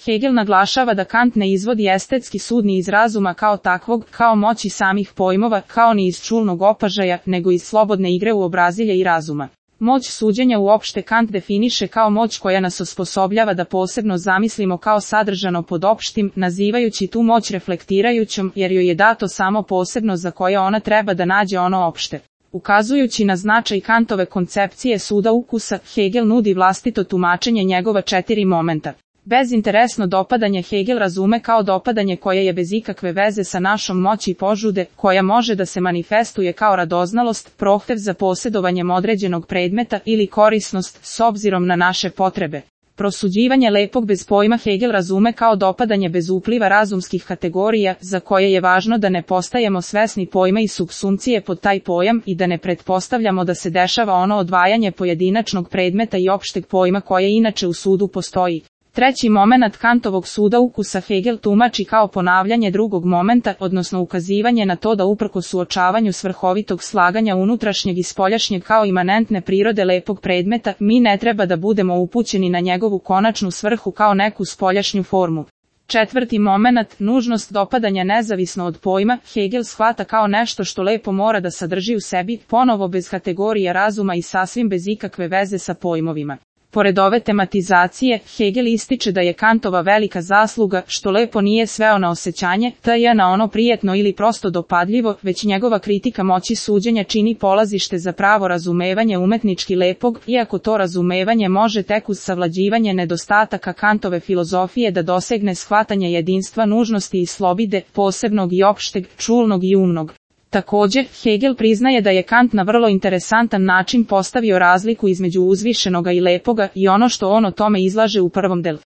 Hegel naglašava da Kant ne izvodi estetski sud ni iz razuma kao takvog, kao moći samih pojmova, kao ni iz čulnog opažaja, nego iz slobodne igre uobrazilja i razuma. Moć suđenja uopšte Kant definiše kao moć koja nas osposobljava da posebno zamislimo kao sadržano pod opštim, nazivajući tu moć reflektirajućom, jer joj je dato samo posebno za koje ona treba da nađe ono opšte. Ukazujući na značaj Kantove koncepcije suda ukusa, Hegel nudi vlastito tumačenje njegova 4 momenta. Bezinteresno dopadanje Hegel razume kao dopadanje koje je bez ikakve veze sa našom moći požude, koja može da se manifestuje kao radoznalost, prohtev za posjedovanjem određenog predmeta ili korisnost s obzirom na naše potrebe. Prosuđivanje lepog bez pojma Hegel razume kao dopadanje bez upliva razumskih kategorija, za koje je važno da ne postajemo svesni pojma i supsumpcije pod taj pojam i da ne pretpostavljamo da se dešava ono odvajanje pojedinačnog predmeta i opšteg pojma koje inače u sudu postoji. Treći momenat Kantovog suda ukusa Hegel tumači kao ponavljanje drugog momenta, odnosno ukazivanje na to da uprkos suočavanju svrhovitog slaganja unutrašnjeg i spoljašnjeg kao imanentne prirode lepog predmeta, mi ne treba da budemo upućeni na njegovu konačnu svrhu kao neku spoljašnju formu. Četvrti momenat, nužnost dopadanja nezavisno od pojma, Hegel shvata kao nešto što lepo mora da sadrži u sebi, ponovo bez kategorije razuma i sasvim bez ikakve veze sa pojmovima. Pored ove tematizacije, Hegel ističe da je Kantova velika zasluga, što lepo nije sveo na osjećanje, t.j. na ono prijetno ili prosto dopadljivo, već njegova kritika moći suđenja čini polazište za pravo razumevanje umetnički lepog, iako to razumevanje može tek uz savlađivanje nedostataka Kantove filozofije da dosegne shvatanje jedinstva nužnosti i slobide, posebnog i opšteg, čulnog i umnog. Također, Hegel priznaje da je Kant na vrlo interesantan način postavio razliku između uzvišenoga i lepoga i ono što on o tome izlaže u prvom delu.